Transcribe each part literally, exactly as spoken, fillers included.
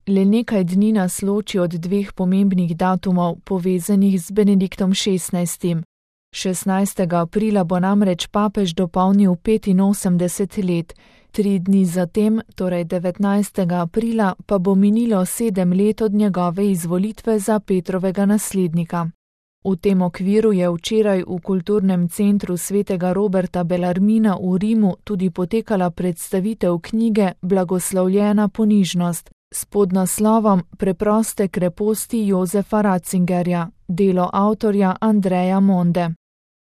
Le nekaj dni nas loči od dveh pomembnih datumov, povezanih z Benediktom šestnajstim. šestnajstega aprila bo namreč papež dopolnil petinosemdeset let, tri dni zatem, torej devetnajstega aprila, pa bo minilo sedem let od njegove izvolitve za Petrovega naslednika. V tem okviru je včeraj v kulturnem centru svetega Roberta Bellarmina v Rimu tudi potekala predstavitev knjige Blagoslovljena ponižnost s podnaslovom Preproste kreposti Jozefa Ratzingerja, delo avtorja Andreja Monde.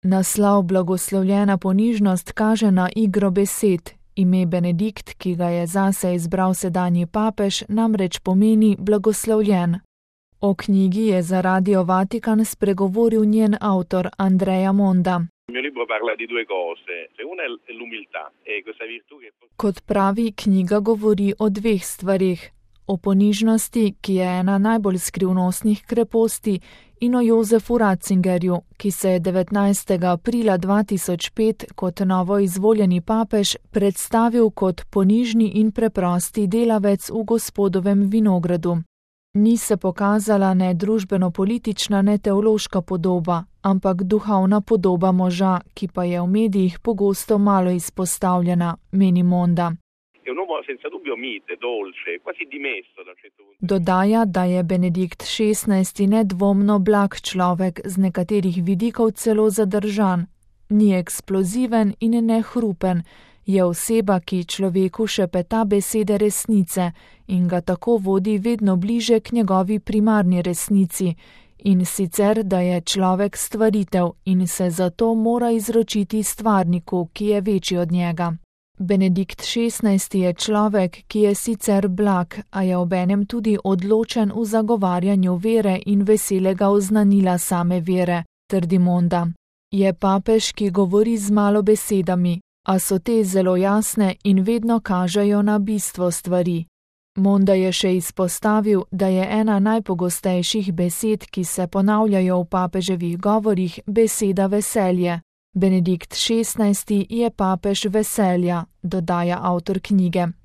Naslov Blagoslovljena ponižnost kaže na igro besed. Ime Benedikt, ki ga je zase izbral sedanji papež, namreč pomeni blagoslovljen. O knjigi je za Radio Vatikan spregovoril njen avtor Andreja Monda. Kot pravi, knjiga govori o dveh stvarih. O ponižnosti, ki je ena najbolj skrivnostnih kreposti, in o Jozefu Ratzingerju, ki se je devetnajstega aprila dva tisoč pet kot novo izvoljeni papež predstavil kot ponižni in preprosti delavec v Gospodovem vinogradu. Ni se pokazala ne družbeno-politična, ne teološka podoba, ampak duhovna podoba moža, ki pa je v medijih pogosto malo izpostavljena, meni Monda. Dodaja, da je Benedikt šestnajsti nedvomno blag človek, z nekaterih vidikov celo zadržan. Ni eksploziven in ne hrupen, je oseba, ki človeku šepeta besede resnice in ga tako vodi vedno bliže k njegovi primarni resnici, in sicer, da je človek stvaritev in se zato mora izročiti stvarniku, ki je večji od njega. Benedikt šestnajsti je človek, ki je sicer blag, a je obenem tudi odločen v zagovarjanju vere in veselega oznanila same vere, trdi Monda. Je papež, ki govori z malo besedami, a so te zelo jasne in vedno kažejo na bistvo stvari. Monda je še izpostavil, da je ena najpogostejših besed, ki se ponavljajo v papeževih govorih, beseda veselje. Benedikt šestnajsti je papež veselja, dodaja avtor knjige.